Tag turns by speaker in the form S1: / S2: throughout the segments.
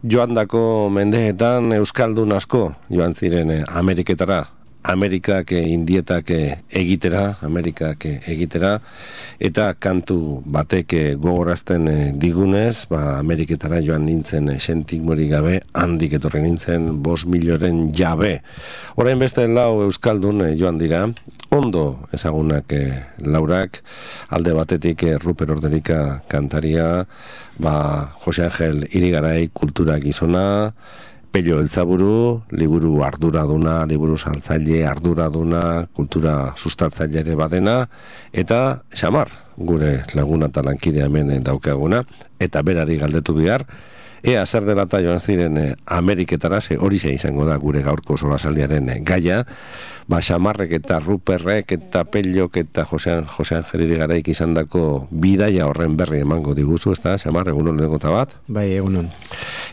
S1: joandako mendeetan euskaldun asko joan ziren Ameriketara. Amerikak indietak egitera, eta kantu batek gogorazten digunez, Ameriketara joan nintzen sentikmorik gabe, handik etorri nintzen 5 milioren jabe. Orain beste 4 euskaldun joan dira, ondo ezagunak laurak, alde batetik Ruper Orderika kantaria, Jose Angel Irigarai kultura gizona, Pello Eltzaburu, liburu arduraduna, liburu saltzaile arduraduna, kultura sustatzaile ere badena, eta Xamar, gure laguna eta lankidea hemen daukaguna, eta berari galdetu behar, ea zer dela eta joan ziren Ameriketara, hori izango da gure gaurko solasaldiaren gaia, Xamarrek eta Ruperrek eta Pellok eta Jose Angel Irigaraik izan dako bidaia horren berri emango diguzu, ez da, Xamar, egunon lehenengota bat?
S2: Bai, egunon.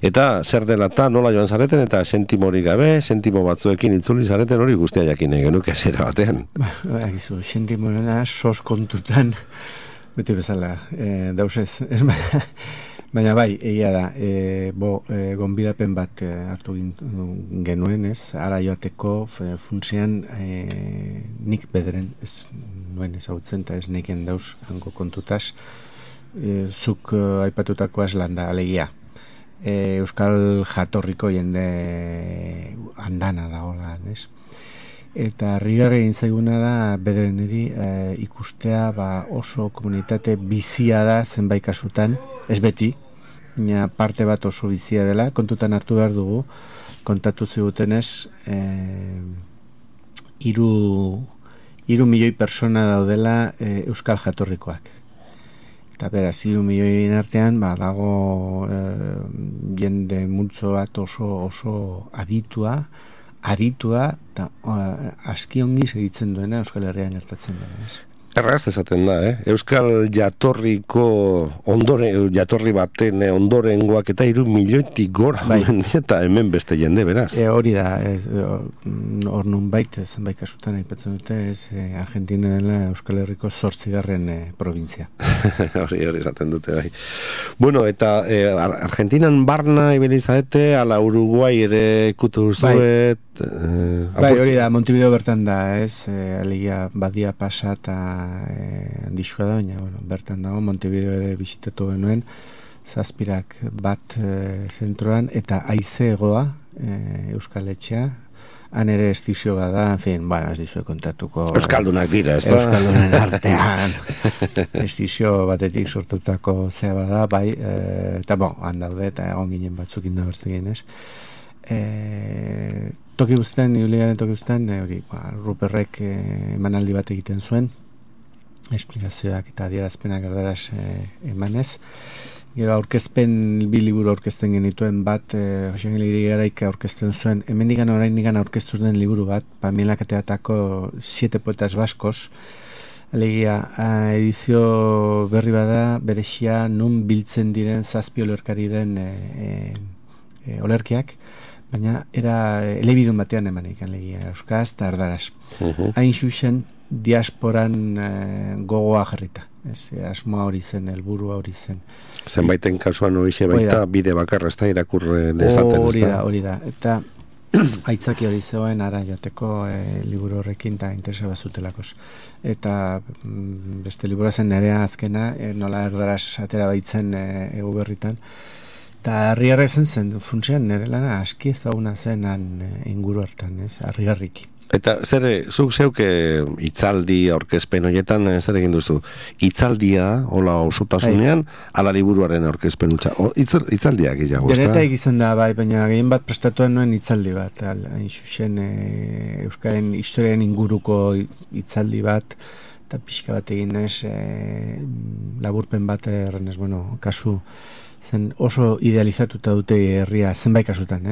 S1: Eta zer dela eta nola joan zareten, eta sentimorik gabe, sentimo batzuekin itzuli zareten hori guztia jakin genuke zera batean.
S2: Gizu, sentimorena sos kontutan, beti bezala, dauzez, baina bai, egia da, gonbidapen bat hartu genuen, ez, ara joateko funtzean nik bederen, ez nuen ezautzen, eta ez neken dauz hango kontutaz, zuk aipatutako aslan da, alegia. Euskal jatorriko jende andana da hola, ez? Eta harrigarri egin zaiguna da bederen ikustea oso komunitate bizia da zenbait kasutan, ez beti, baina parte bat oso bizia dela, kontutan hartu behar dugu, kontatu zigutenez, 3 milioi persona daudela Euskal jatorrikoak. Eta beraz, 3 milioien artean, dago jende multzo bat oso aditua, eta aski ongi segitzen duena Euskal Herrian gertatzen dena, ez?
S1: Erraz esaten da, Euskal jatorriko jatorri baten ondorengoak eta 3 milioitik gora, eta hemen beste jende, beraz.
S2: Hori da, hor nun zenbait kasutan aipatzen dute, Argentina dela Euskal Herriko 8. provintzia.
S1: Hori esaten dute, bai. Bueno, eta Argentinan barna ibilizadete, ala Uruguai ere kutu zuet.
S2: Bai, hori da, Montevideo bertan da, ez, alegia badia pasa eta handixua da, baina, bertan dago, Montevideo ere bisitatu genuen, 7 bat zentroan, eta aizegoa Euskal Etxea, han ere estizio bada, en fin, ez dizue kontatuko...
S1: Euskaldunak dira, ez da?
S2: Euskaldunen artean, estizio batetik sortutako zea bada, bai, eta han daude, eta egon ginen batzuk indabertzen ez. Toki guztien, Iuliaren toki guztien, Ruperrek emanaldi bat egiten zuen, esplikazioak eta adierazpenak erdaraz emanez. Gero aurkezpen, 2 liburu aurkezten genituen bat, Jose Angel Irigaraik aurkezten zuen, hemendikan oraindikan aurkeztu den liburu bat, Pamelaketeatako 7 poetas baskos, alegia, edizio berri bada, berexia, nun biltzen diren 7 olerkari den olerkiak, baina era elebidun batean emanik, alegia, euskaz eta erdaraz. Hain xuxen, diasporan gogoa jarrita. Asmoa hori zen, helburua hori zen.
S1: Zenbaiten kasuan horixe baita bide bakarra ez da irakurre dezaten.
S2: Hori da. Eta aitzaki hori zegoen ara joateko liburu horrekin eta interesa bazutelakos. Eta beste liburu zen nerea azkena, nola erdaraz atera baitzen egu berritan. Eta harrigarra zen funtsean nire lana aski ezaguna zen inguru hartan, harrigarriki.
S1: Eta zuk zeuke hitzaldi aurkezpen horietan zer egin duzu? Hitzaldia, hola osotasunean, ala liburuaren aurkezpen hutsa. Hitzaldiak izago, ez da?
S2: Denetak izan da, bai, baina gehien bat prestatuan nuen hitzaldi bat. Hain zuzen, Euskaren historiaren inguruko hitzaldi bat, eta pixka bat egin laburpen bat errenez, kasu zen oso idealizatuta dute herria zenbait kasutan,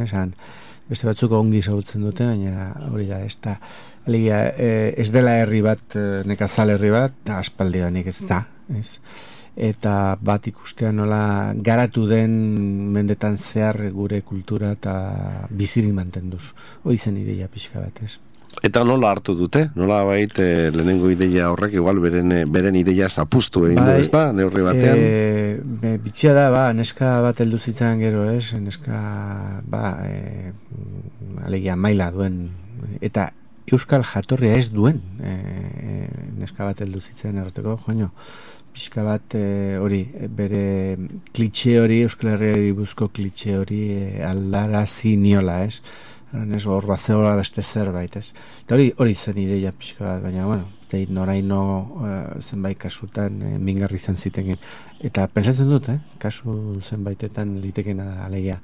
S2: beste batzuk ongi ezagutzen dute, baina hori da, ez dela herri bat, nekazal herri bat, aspaldidanik ez da, ez? Eta bat ikustea nola garatu den mendetan zehar gure kultura eta bizirik mantenduz. Hoi zen ideia pixka bat, ez?
S1: Eta nola hartu dute? Nola lehenengo ideia horrek, igual beren ideia zapustu egin du, ez da, neurri batean?
S2: Bitxia da, neska bat heldu zitzan gero, neska, alegia maila duen, eta euskal jatorria ez duen, neska bat heldu zitzan erroteko, joño, pixka bat hori, bere klitxe hori, Euskal Herriari buruzko klitxe hori aldarazi niola, hor bazeola beste zerbait, eta hori zen ideia pixka bat, baina, bueno, noraino zenbait kasutan mingarri izan ziteken, eta pentsatzen dut, kasu zenbaitetan litekena da, alegia,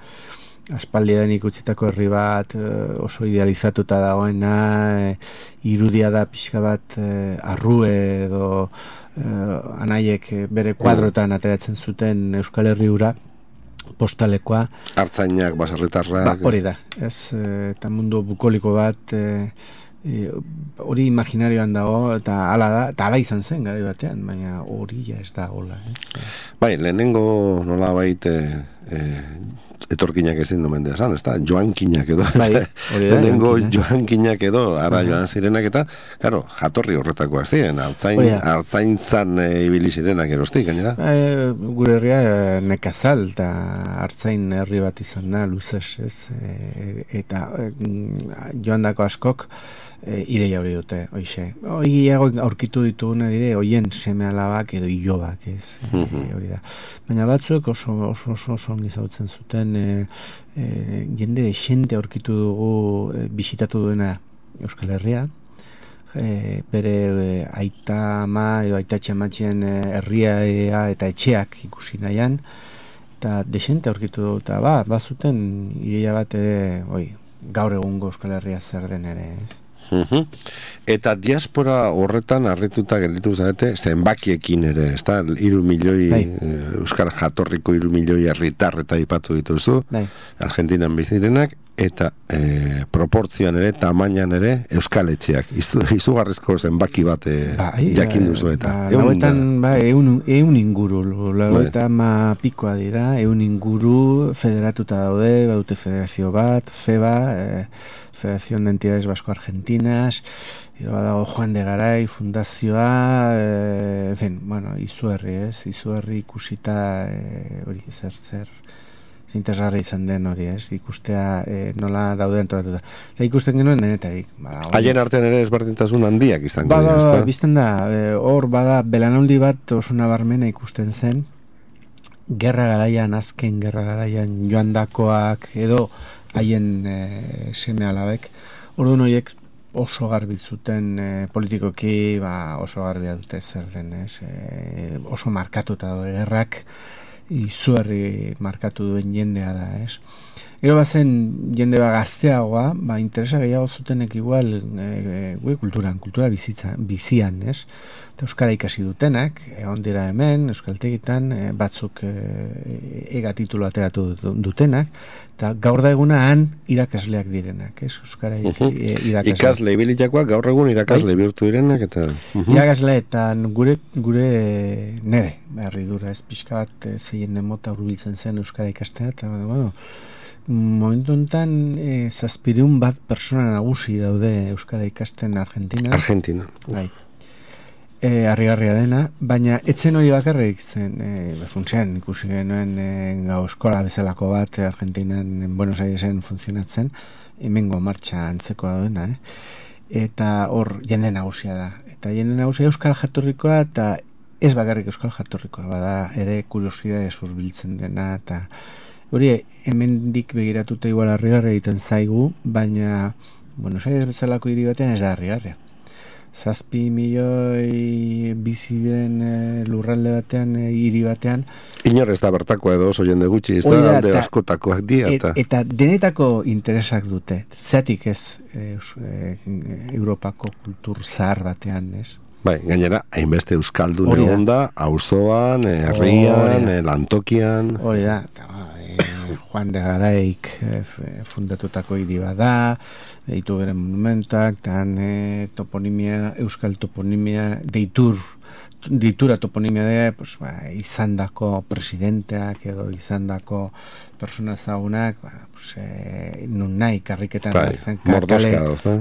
S2: aspaldian ikutzitako herri bat oso idealizatuta dagoena, irudia da pixka bat arrue edo anaiek bere kuadrotan ateratzen zuten Euskal Herri hura, postalekoa.
S1: Artzainak, baserritarrak.
S2: Hori da, eta mundu bukoliko bat, hori imaginarioan dago, eta hala da, eta hala izan zen garai batean, baina hori ja ez da hola,
S1: Bai, lehenengo nola etorkinak ezin du mendea esan, ez da? Joankinak edo, lehenengo joankinak edo, ara joan zirenak eta, claro, jatorri horretakoa ziren, artzaintzan ibili zirenak erostik, gainera?
S2: Gure herria nekazal eta artzain herri bat izan da, luzez, eta joandako askok ideia hori dute, hoize. Aurkitu dituguna dire, hoien seme alabak edo ilobak, hori da. Baina batzuek oso ongi zautzen zuten, jende xente aurkitu dugu bisitatu duena Euskal Herria, bere aita ama edo aitatxe amatxien herria eta etxeak ikusi nahian, eta desente aurkitu dugu, eta bazuten ideia bat, gaur egungo Euskal Herria zer den ere,
S1: Eta diaspora horretan harrituta gelditu zarete zenbakiekin ere, ez da? 3 milioi Euskal jatorriko 3 milioi herritar eta aipatu dituzu, Argentinan bizirenak, eta proportzioan ere, tamainan ere, Euskal etxeak. Izugarrizko zenbaki bat jakin duzu eta.
S2: Eun inguru, eta pikoa dira, eun inguru federatuta daude, baute federazio bat, FEBA, Federación de Entidades Vasco-Argentinas, badago Juan de Garay fundazioa, izugarri ikusita hori zer interesgarri izan den hori, ikustea nola daude antolatuta. Eta ikusten genuen denetarik.
S1: Haien artean ere ezberdintasun handiak izango dira,
S2: bizten da, hor bada belanaldi bat oso nabarmena ikusten zen, azken gerra garaian joandakoak edo haien seme alabek, orduan horiek oso garbi zuten politikoki, oso garbia dute zer den, oso markatuta dago gerrak, izugarri markatu duen jendea da, Gero bazen jende gazteagoa, interesa gehiago zutenek igual gure kultura bizian, eta euskara ikasi dutenak, egon dira hemen, euskaltegitan, batzuk ega titulu ateratu dutenak, eta gaur da eguna han irakasleak direnak, euskara irakasle.
S1: Ikasle ibilitakoak gaur egun irakasle bihurtu direnak, eta...
S2: Irakasle, eta gure nere, berri dura, ez pixka bat zeien demota urbiltzen zen euskara ikastea, eta momentu enten 700 bat persona nagusi daude euskara ikasten Argentina. Bai. Harrigarria dena, baina etzen hori bakarrik zen, funtsean ikusi genuen gau eskola bezalako bat Argentinan, Buenos Airesen funtzionatzen, hemengo martxa antzekoa duena, eta hor jende nagusia da. Eta jende nagusia euskal jatorrikoa, eta ez bakarrik euskal jatorrikoa, bada ere kuriosidade zurbiltzen dena, eta hori hemendik begiratuta igual harrigarria egiten zaigu, baina Buenos Aires bezalako hiri batean ez da harrigarria. 7 milioi bizi diren lurralde batean, hiri batean.
S1: Inor ez da bertakoa edo oso jende gutxi, ez da alde askotakoak dira.
S2: Eta denetako interesak dute, zeatik ez Europako kultur zahar batean, ez?
S1: Bai, gainera, hainbeste euskaldun egon da, auzoan, herrian, lantokian.
S2: Hori da, Juan de Garaik fundatutako hiri bada, ditu bere monumentak, tan toponimia, euskal toponimia, deitur ditura toponimia dira, pues, izandako presidenteak edo izandako persona zagunak, pues, nun nahi karriketan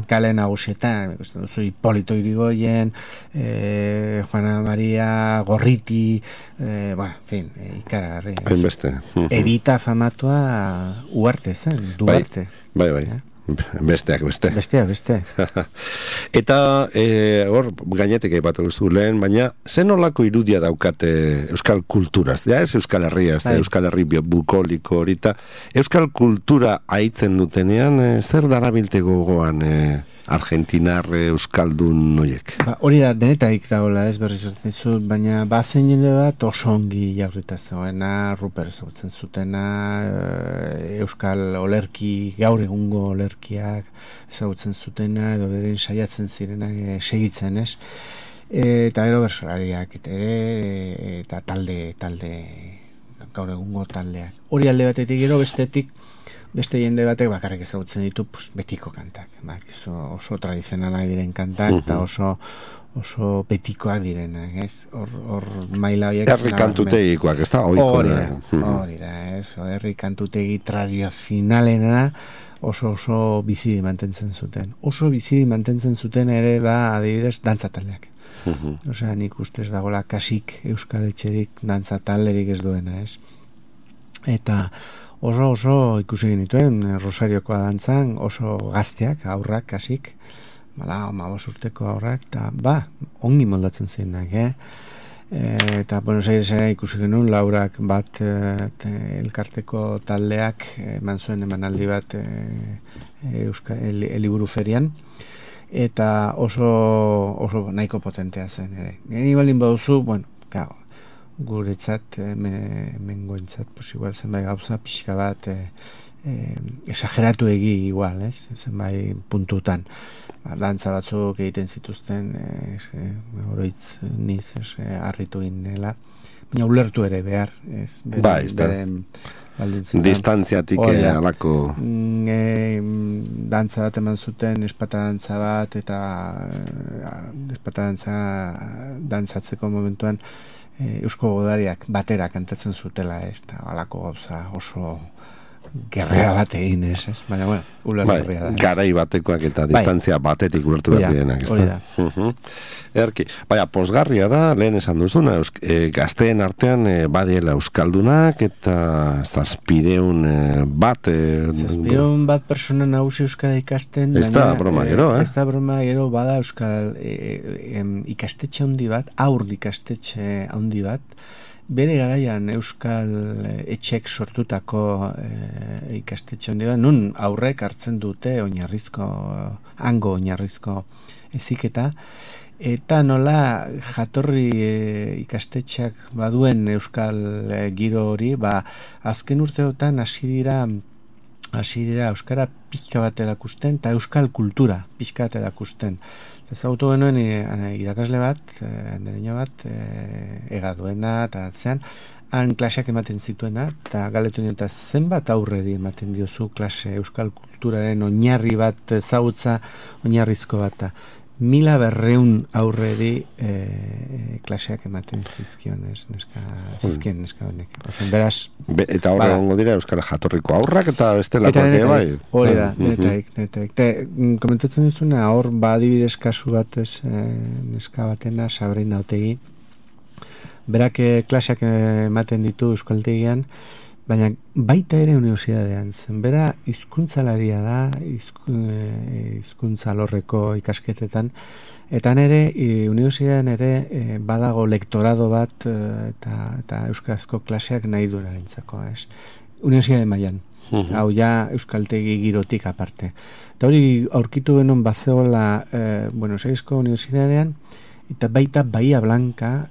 S2: kale nagusietan, Hipolito Irigoyen, Juana Maria Gorriti, en fin, ikaragarri. Evita famatua Uarte zen, Duarte.
S1: Bai. Besteak. Eta hor gainetik aipatu duzu lehen, baina zen olako irudia daukate euskal kulturaz, ez Euskal Herria, Euskal Herri bukoliko horita, euskal kultura aitzen dutenean, zer darabilte gogoan Argentinar euskaldun noiek?
S2: Hori da, denetaik dagoela, ez berriz zut, baina bazen jende bat oso ongi jaurrita zegoena, Ruper ezagutzen zutena, euskal olerki, gaur egungo olerkiak ezagutzen zutena, edo beren saiatzen zirenak segitzen, ez? Eta gero bersolariak, eta talde, gaur egungo taldeak. Hori alde batetik gero bestetik, beste jende batek bakarrik ezagutzen ditu betiko kantak. Oso tradizionala diren kantak, eta oso betikoak direnak, ez? Hor maila horiek...
S1: Herri kantutegikoak, ez da?
S2: Hori da, ez? Herri kantutegi tradizionalena oso bizidi mantentzen zuten. Oso bizidi mantentzen zuten ere da, adibidez, dantzataldeak. Osea, nik ustez dagoela kasik euskal etxerik dantzatalderik ez duena, ez? Eta oso ikusi genituen Rosariokoa dantzan, oso gazteak, aurrak, kasik, 15 urteko aurrak, eta ongi moldatzen zirenak, eta Buenos Airesera ikusi genuen Laurak bat elkarteko taldeak eman zuen emanaldi bat Eliburu Ferian, eta oso nahiko potentea zen ere. Geni baldin baduzu, guretzat, mengoentzat, igual zenbait gauza pixka bat esageratu igual, ez? Zenbait puntutan. Dantza batzuk egiten zituzten, oroitz niz, harritu ginela, baina ulertu ere behar, ez?
S1: Distantziatik alako...
S2: Dantza bat eman zuten, espata dantza bat, eta espata dantzatzeko momentuan eusko godariak batera kantatzen zutela, ez, eta alako gauza oso gerrea bat egin, ez, baina, ulertu da.
S1: Garai batekoak eta distantzia batetik ulertu behar dienak, ez da. Erki, posgarria da, lehen esan duzuna, gazteen artean badiela euskaldunak, eta zazpireun bat...
S2: Zazpireun bat persona nagusi euskara ikasten,
S1: ez da broma gero,
S2: ez da broma gero, bada euskal ikastetxe handi bat, aur ikastetxe handi bat, bere garaian euskal etxek sortutako ikastetxe handi bat, nun aurrek hartzen dute hango oinarrizko heziketa, eta nola jatorri ikastetxeak baduen euskal giro hori, azken urteotan hasi dira euskara pixka bat erakusten, eta euskal kultura pixka bat erakusten. Ezagutu genuen irakasle bat, andereño bat, egaduena, eta zean, han klaseak ematen zituena, eta galetu nien, eta zenbat aurreri ematen diozu klase euskal kulturaren oinarri bat, ezagutza oinarrizko bat, 1200 aurreri klaseak ematen zizkion, zizkien neska honek. Beraz...
S1: Eta horre gongo dira euskal jatorriko aurrak eta bestelakoak bai?
S2: Hori da, netaik. Komentatzen duzuna, hor adibidez kasu batez neska batena, Sabrina Otegi, berak klaseak ematen ditu euskaltegian, baina baita ere unibertsitatean zen. Bera hizkuntzalaria da, hizkuntza alorreko ikasketetan, eta nere unibertsitatean ere badago lektorado bat eta euskarazko klaseak nahi duenarentzako, ez? Unibertsitate mailan. Hau ja euskaltegi girotik aparte. Eta hori aurkitu genuen bazeola Buenos Airesko unibertsitatean, eta baita Bahia Blanca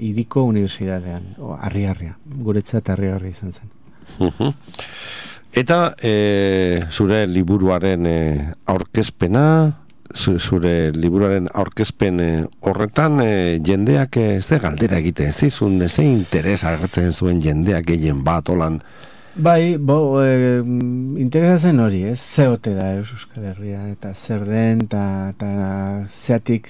S2: iriko unibertsitatean, harri-harria, guretzat harri-harria izan zen.
S1: Eta zure liburuaren aurkezpena, zure liburuaren aurkezpen horretan jendeak ze galdera egiten zizun, ze interes agertzen zuen jendeak gehien bat, holan
S2: Bai, interesatzen hori, ez? Ze ote da Euskal Herria, eta zer den, eta zeatik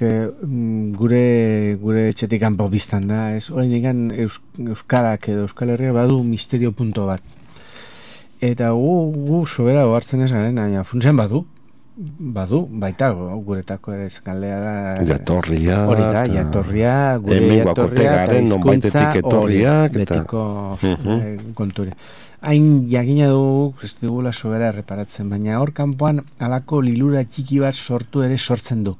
S2: gure etxetik kanpo biztan da, ez? Hori nigan Euskarak edo Euskal Herria badu misterio punto bat. Eta gu sobera ohartzen ez garen, baina funtsen badu, baita guretako ere galdea da
S1: jatorria,
S2: hori da, jatorria, gure jatorria eta hizkuntza betiko konturi. Hain jakina dugu, ez dugula sobera erreparatzen, baina hor kanpoan halako lilura txiki bat sortzen du.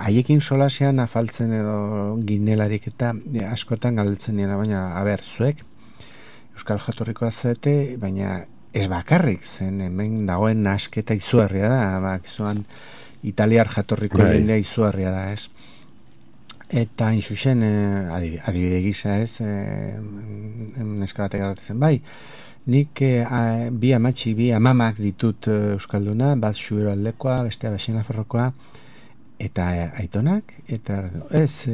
S2: Haiekin solasean afaltzen edo ginelarik eta askotan galdetzen dira, baina zuek Euskal jatorrikoa zete, baina ez bakarrik, zen hemen dagoen nasketa izugarria da, izuan italiar jatorriko jendea izugarria da, ez? Eta inxuxen, adibide gisa, ez? Neska batek garratzen, bai, nik bi amamak ditut Euskalduna, bat Xubero aldekoa, bestea Baxenafarrokoa, eta aitonak, eta ez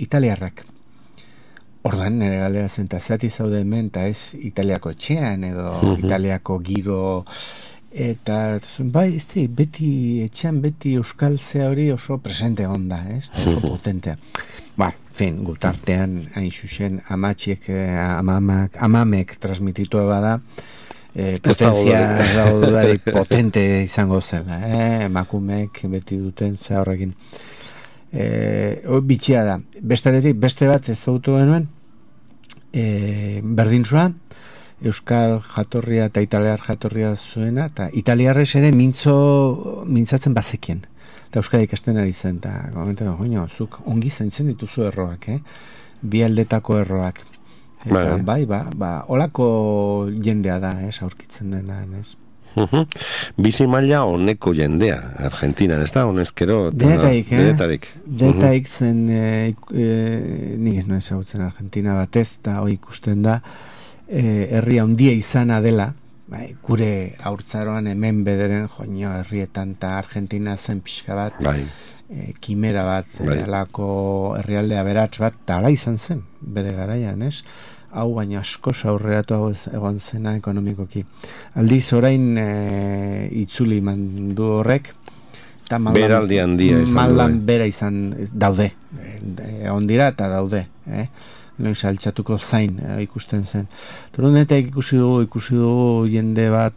S2: italiarrak. Ordan nire galdera zen, eta zati zaude hemen, eta ez Italiako etxean, edo Italiako giro, eta bai, beti etxean, beti euskal zea hori oso presente onda, ez? Oso potentea. Gutartean, hain xuxen, amamek transmititua bada, potentzia gaudarik potente izango zela, emakumeek beti duten zea horrekin. Bitxia da. Beste bat ezagutu genuen, berdintzua, Euskal jatorria eta italiar jatorria zuena, eta italiarrez ere mintzatzen bazekien. Eta Euskal ikasten ari zen, eta gomentan, zuk ongi zaintzen dituzu erroak, bi aldetako erroak. Eta olako jendea da, aurkitzen dena, ez?
S1: Bizi maila honeko jendea Argentinan, ez da? Honezkero denetarik
S2: zen nik ez noen ezagutzen Argentina batez, eta hoi ikusten da herri handia izana dela, gure haurtzaroan hemen bederen herrietan eta Argentina zen pixka bat, kimera bat, alako herrialde aberats bat, eta ala izan zen bere garaian, ez? Hau baina asko aurreratu egon zena ekonomikoki. Aldiz orain itzuli mandu horrek, eta
S1: beraldi handia
S2: maldan bera izan daude. Ondira eta daude. Noiz altxatuko zain ikusten zen. Torunetek ikusi dugu jende bat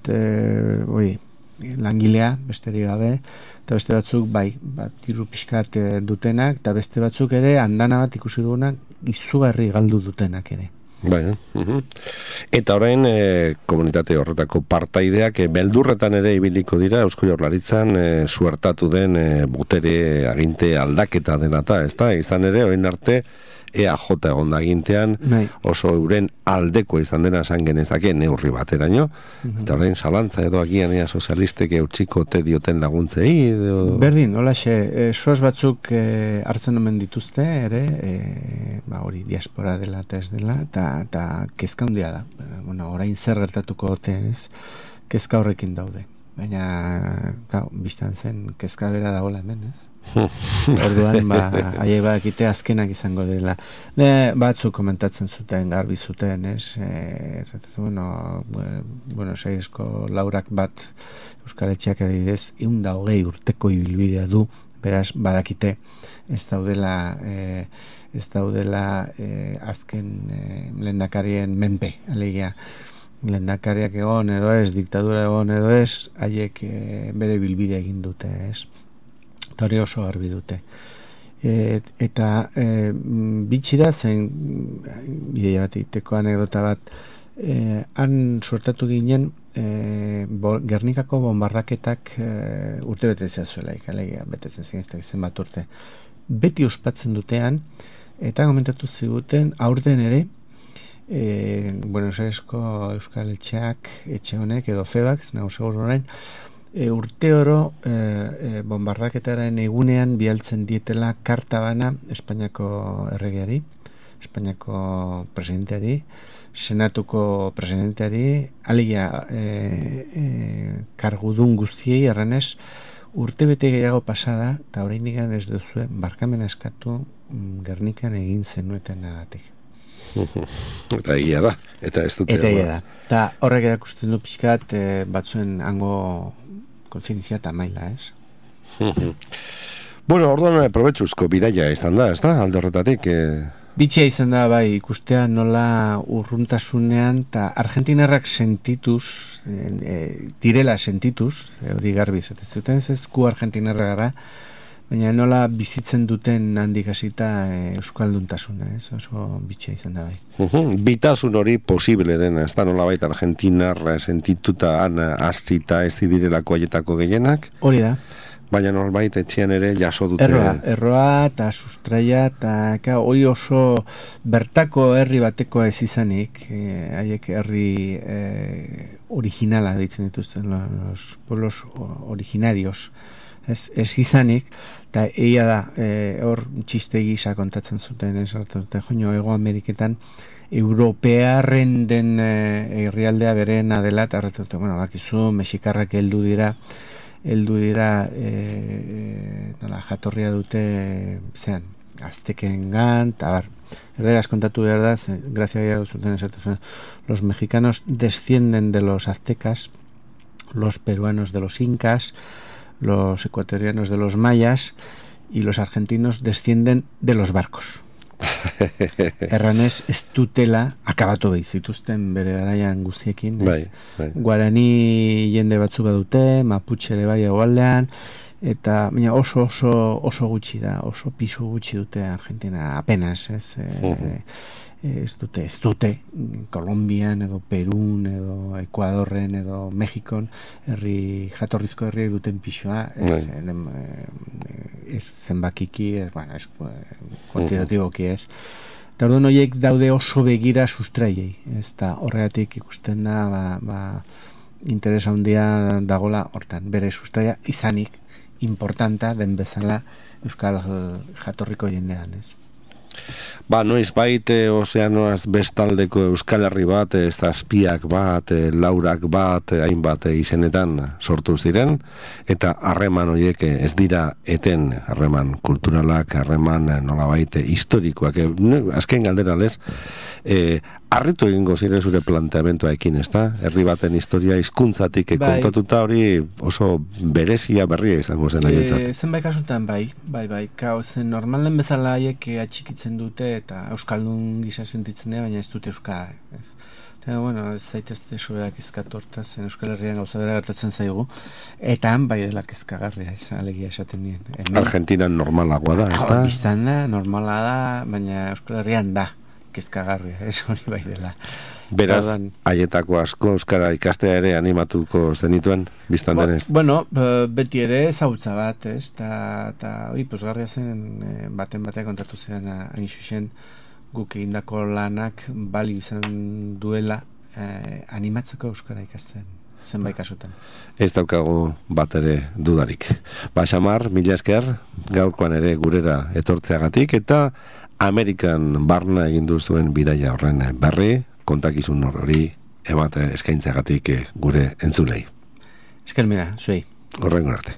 S2: langilea, besterik gabe, eta beste batzuk diru pixkat dutenak, eta beste batzuk ere andana bat ikusi dugunak izugarri galdu dutenak ere.
S1: Eta orain komunitate horretako partaideak beldurretan ere ibiliko dira Eusko Jaurlaritzan suertatu den botere aginte aldaketa denata, ezta? Izan ere orain arte EAJ egon da agintean oso euren aldeko izan dena esan genezake neurri bateraino, eta orain zalantza edo agian sozialistek eutsiko te dioten laguntzei
S2: berdin, holaxe, soz batzuk hartzen omen dituzte ere, hori diaspora dela eta ez dela, eta kezka handia da, orain zer gertatuko ez, kezka horrekin daude, baina biztan zen kezka bera dagoela hemen, ez? Orduan, haiek badakite azkenak izango dela. Batzuk komentatzen zuten, garbi zuten, ez? Saiezko laurak bat Euskal Etxeak adibidez, 120 urteko ibilbidea du, beraz, badakite ez daudela azken lehendakarien menpe, alegia. Lehendakariak egon edo ez, diktadura egon edo ez, haiek bere bilbidea egin dute, ez? Hori oso garbi dute. Eta bitxi da zen bideia bat iteko anekdota bat, han sortatu ginen Gernikako bombardaketak urte betetzea zuelaik, alegia betetzen zen bat urte. Beti ospatzen dutean, eta komentatu ziguten aurten ere Buenos Airesko Euskal Etxeak, etxe honek edo FEBAK, nago segur orain, urte oro bombardaketaren egunean bialtzen dietela karta bana Espainiako erregeari, Espainiako presidenteari, senatuko presidenteari, alegia kargudun guztiei erranez, urte bete gehiago pasada, eta oraindik ez duzue barkamena eskatu Gernikan egin zenueten agatik.
S1: Eta egia da, eta ez dute.
S2: Eta egia da. Eta horrek erakusten du pixkat batzuen hango kontzientzia eta maila, ez?
S1: Bueno, orduan probetxuzko bidaia izan da, ez da, alde horretatik.
S2: Bitxia izan da, bai, ikustea nola urruntasunean, eta argentinarrak sentituz, direla sentituz, hori garbi esaten zuten, ez gu argentinarra gara, baina nola bizitzen duten handik hasita euskalduntasuna, ez? Oso bitxia izan da, bai.
S1: Bitasun hori posible dena, ez da nola baita argentinarra sentituta azita ez direlako aietako gehienak?
S2: Hori da.
S1: Baina nolbait etxean ere jaso dute.
S2: Erroa eta sustraia eta hori oso bertako herri batekoa ez izanik, haiek herri originala ditzen dituzten, los pueblos originarios, ez izanik, eta egia da, hor txiste gisa kontatzen zuten, ez hartu, joño, Hego Ameriketan, europearren den herrialdea berena dela, eta hartu, bueno, bakizu, mexikarrak heldu dira, nola, jatorria dute zean, aztekengan, eta bar, erderaz kontatu behar da, grazia gira zuten esatu, los mexicanos descienden de los aztecas, los peruanos de los incas, los ecuatorianos de los mayas, y los argentinos descienden de los barcos. Erranez ez dutela akabatu behit zituzten bere garaian guztiekin,
S1: bai.
S2: Guarani jende batzu badute, Mapuche ere bai hegoaldean, eta baina oso gutxi da, oso pisu gutxi dute Argentina, apenas, ez dute Kolombian edo Perun edo Ekuadorren edo Mexikon jatorrizko herriek duten pisua, ez zenbakiki, ez kuantitatiboki, ez. Eta orduan horiek daude oso begira sustraiei, ez da horregatik ikusten da interesa handia dagola hortan, bere sustraia izanik importanta den bezala euskal jatorriko jendean, ez.
S1: Noiz baite ozeanoaz bestaldeko Euskal Herri bat, zazpiak bat, laurak bat, hainbat izenetan sortu ziren, eta harreman horiek ez dira eten, harreman kulturalak, harreman nolabait historikoak. Azken galdera lez, harritu egingo zire zure planteamentoaekin, ez da? Herri baten historia hizkuntzatik kontatuta hori oso berezia berria izango zen haietzat.
S2: Zenbait kasutan bai, zen normalen bezala haiek atxikitzen dute eta euskaldun gisa sentitzen dira, baina ez dute euskara, ez. Eta, bueno, ez zaitezte soberak izkatu hortaz, Euskal Herrian gauza bera gertatzen zaigu, eta han bai dela kezkagarria, ez, alegia esaten dien.
S1: Argentinan normalagoa da, ez da?
S2: Biztan da, normala da, baina Euskal Herrian da kezkagarria, ez hori bai dela.
S1: Beraz, haietako asko euskara ikastea ere animatuko zenituen, biztan denez?
S2: Bueno, beti ere ezautza bat, ez? Eta hori, pozgarria zen, baten kontatu zen, hain xuxen, guk egindako lanak balio izan duela animatzeko euskara ikasten, zenbait kasutan.
S1: Ez daukagu bat ere dudarik. Xamar, mila esker, gaurkoan ere gurera etortzeagatik, eta Amerikan barna egin duzuen bidaia horren berri, kontakizun hori emate eskaintzeagatik gure entzulei.
S2: Esker mira, zuei.
S1: Horrengo arte.